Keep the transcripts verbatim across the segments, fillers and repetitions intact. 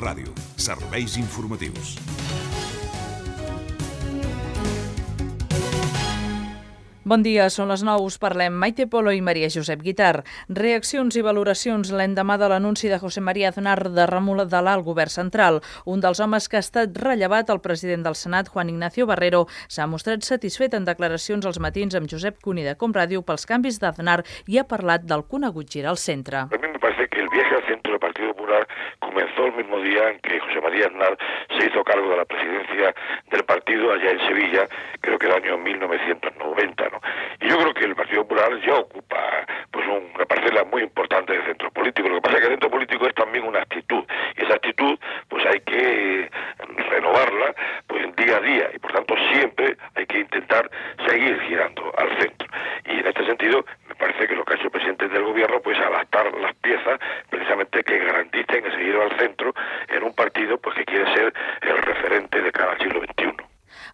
Ràdio. Serveis informatius. Bon dia, són les nou, us parlem Maite Polo i Maria Josep Guitart. Reaccions i valoracions l'endemà de l'anunci de José María Aznar de remodelar el govern central. Un dels homes que ha estat rellevat, el president del Senat, Juan Ignacio Barrero, s'ha mostrat satisfet en declaracions als matins amb Josep Cuní de Com Ràdio pels canvis d'Aznar i ha parlat del conegut gir al centre. A mí me parece que el viaje al centro del Partido Popular comenzó el mismo día en que José María Aznar se hizo cargo de la presidencia del partido allá en Sevilla, creo que el año mil novecientos noventa, ¿no? Y yo creo que el Partido Popular ya ocupa pues una parcela muy importante del centro político. Lo que pasa es que el centro político es también una actitud, y esa actitud pues hay que renovarla pues día a día, y por tanto siempre hay que intentar seguir girando al centro. Y en este sentido me parece que lo que ha hecho el presidente del gobierno pues adaptar las piezas precisamente que garanticen ese giro al centro en un partido pues que quiere ser el referente de cara al siglo veintiuno.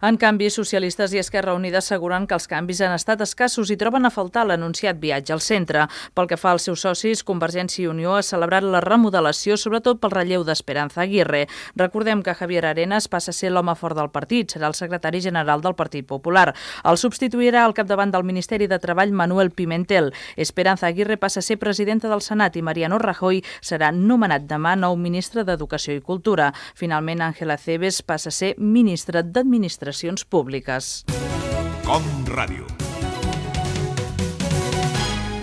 En canvi, socialistes i Esquerra Unida asseguren que els canvis han estat escassos i troben a faltar l'anunciat viatge al centre. Pel que fa als seus socis, Convergència i Unió ha celebrat la remodelació, sobretot pel relleu d'Esperanza Aguirre. Recordem que Javier Arenas passa a ser l'home fort del partit, serà el secretari general del Partit Popular. El substituirà al capdavant del Ministeri de Treball Manuel Pimentel. Esperanza Aguirre passa a ser presidenta del Senat i Mariano Rajoy serà nomenat demà nou ministre d'Educació i Cultura. Finalment, Ángela Cebes passa a ser ministra d'Administració públiques. Com Ràdio.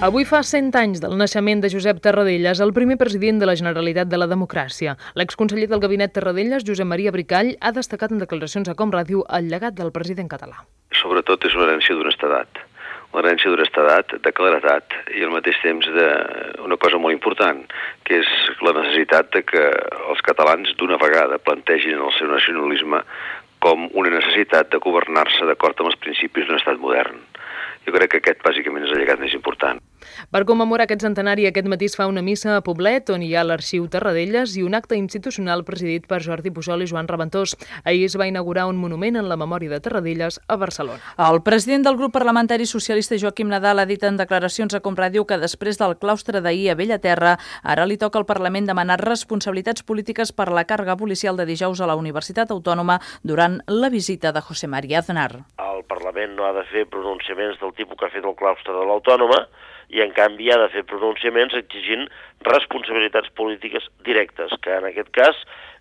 Avui fa cent anys del naixement de Josep Tarradellas, el primer president de la Generalitat de la Democràcia. L'exconseller del gabinet Tarradellas, Josep Maria Bricall, ha destacat en declaracions a Com Ràdio el llegat del president català. Sobretot és una herència d'honestedat, una herència d'honestedat, de claredat i al mateix temps d'una cosa molt important, que és la necessitat de que els catalans d'una vegada plantegin el seu nacionalisme com una necessitat de governar-se d'acord amb els principis d'un estat modern. Jo crec que aquest, bàsicament, és el llegat més important. Per commemorar aquest centenari, aquest matí es fa una missa a Poblet, on hi ha l'arxiu Tarradellas, i un acte institucional presidit per Jordi Pujol i Joan Raventós. Ahir es va inaugurar un monument en la memòria de Tarradellas a Barcelona. El president del grup parlamentari socialista, Joaquim Nadal, ha dit en declaracions a Com Ràdio que després del claustre d'ahir a Bellaterra, ara li toca al Parlament demanar responsabilitats polítiques per la càrrega policial de dijous a la Universitat Autònoma durant la visita de José María Aznar. El Parlament no ha de fer pronunciaments del tipus que ha fet el claustre de l'Autònoma, i en canvi ha de fer pronunciaments exigint responsabilitats polítiques directes, que en aquest cas,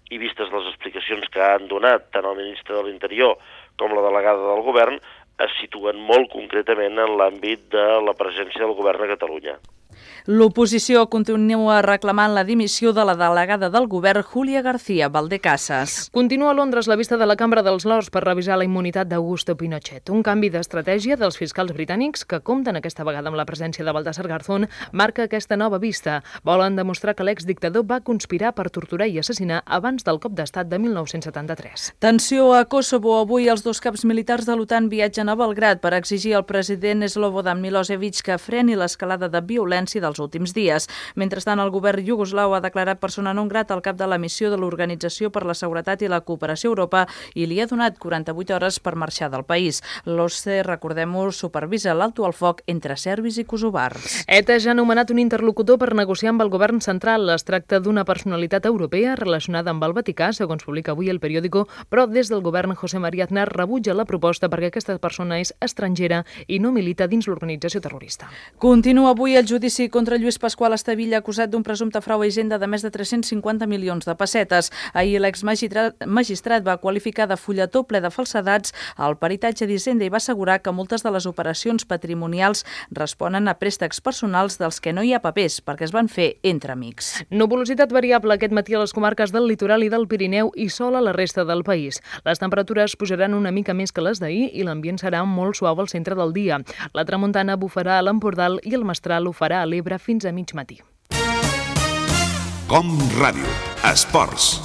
i vistes les explicacions que han donat tant el ministre de l'Interior com la delegada del govern, es situen molt concretament en l'àmbit de la presència del govern a Catalunya. L'oposició continua reclamant la dimissió de la delegada del govern, Júlia García Valdecasas. Continua a Londres la vista de la Cambra dels Lords per revisar la immunitat d'Augusto Pinochet. Un canvi d'estratègia dels fiscals britànics, que compten aquesta vegada amb la presència de Baltasar Garzón, marca aquesta nova vista. Volen demostrar que l'exdictador va conspirar per torturar i assassinar abans del cop d'estat de mil nou-cents setanta-tres. Tensió a Kosovo. Avui els dos caps militars de l'OTAN viatgen a Belgrad per exigir al president Slobodan Milosevic que freni l'escalada de violència dels últims dies. Mentrestant, el govern iugoslau ha declarat persona non grata al cap de la missió de l'Organització per la Seguretat i la Cooperació a Europa i li ha donat quaranta-vuit hores per marxar del país. L'O S C E, recordem-ho, supervisa l'alto al foc entre serbis i kosovars. ETA ja ha nomenat un interlocutor per negociar amb el govern central. Es tracta d'una personalitat europea relacionada amb el Vaticà, segons publica avui el periòdico, però des del govern José María Aznar rebutja la proposta perquè aquesta persona és estrangera i no milita dins l'organització terrorista. Continua avui el judici contra Lluís Pasqual Estavilla, acusat d'un presumpte frau a Hisenda de més de tres-cents cinquanta milions de pessetes. Ahir l'exmagistrat va qualificar de fulletó ple de falsedats el peritatge d'Hisenda i va assegurar que moltes de les operacions patrimonials responen a préstecs personals dels que no hi ha papers, perquè es van fer entre amics. Nuvolositat variable aquest matí a les comarques del litoral i del Pirineu i sol a la resta del país. Les temperatures pujaran una mica més que les d'ahir i l'ambient serà molt suau al centre del dia. La tramuntana bufarà a l'Empordà i el mestral ho farà a l'Ebre fins a mig matí. Com Ràdio. Esports.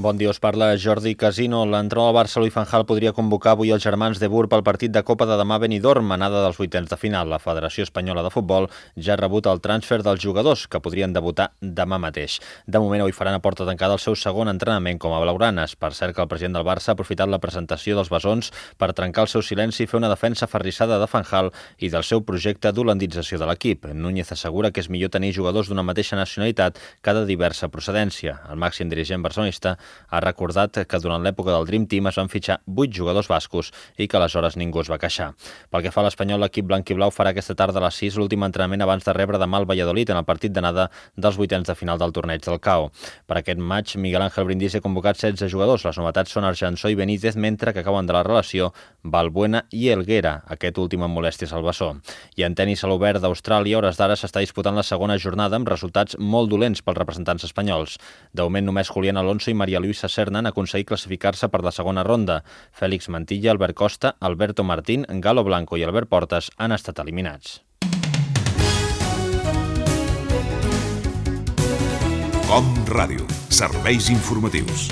Bon dia, us parla Jordi Casino. L'entrenador del Barça, Louis van Gaal, podria convocar avui els germans de Boer pel partit de Copa de demà a Benidorm, anada dels vuitens de final. La Federació Espanyola de Futbol ja ha rebut el transfer dels jugadors, que podrien debutar demà mateix. De moment, avui faran a porta tancada el seu segon entrenament com a blaugranes. Per cert, que el president del Barça ha aprofitat la presentació dels besons per trencar el seu silenci i fer una defensa aferrissada de Van Gaal i del seu projecte d'holandització de l'equip. Núñez assegura que és millor tenir jugadors d'una mateixa nacionalitat que de diversa procedència. El màxim dirigent barcelonista ha recordat que durant l'època del Dream Team es van fitxar vuit jugadors bascos i que aleshores ningú es va queixar. Pel que fa a l'Espanyol, l'equip blanc i blau farà aquesta tarda a les sis l'últim entrenament abans de rebre demà el Valladolid en el partit d'anada dels vuitens de final del torneig del C A O. Per aquest maig, Miguel Ángel Brindisi ha convocat setze jugadors. Les novetats són Arjançó i Benítez, mentre que acaben de la relació Balbuena i Helguera, aquest últim amb molèsties al bessó. I en tenis a l'Obert d'Austràlia, hores d'ara s'està disputant la segona jornada amb resultats molt dolents pels representants espanyols. De moment, només Julián Alonso i María Luisa Serna han aconseguit classificar-se per la segona ronda. Fèlix Mantilla, Albert Costa, Alberto Martín, Galo Blanco i Albert Portas han estat eliminats. Com Ràdio. Serveis informatius.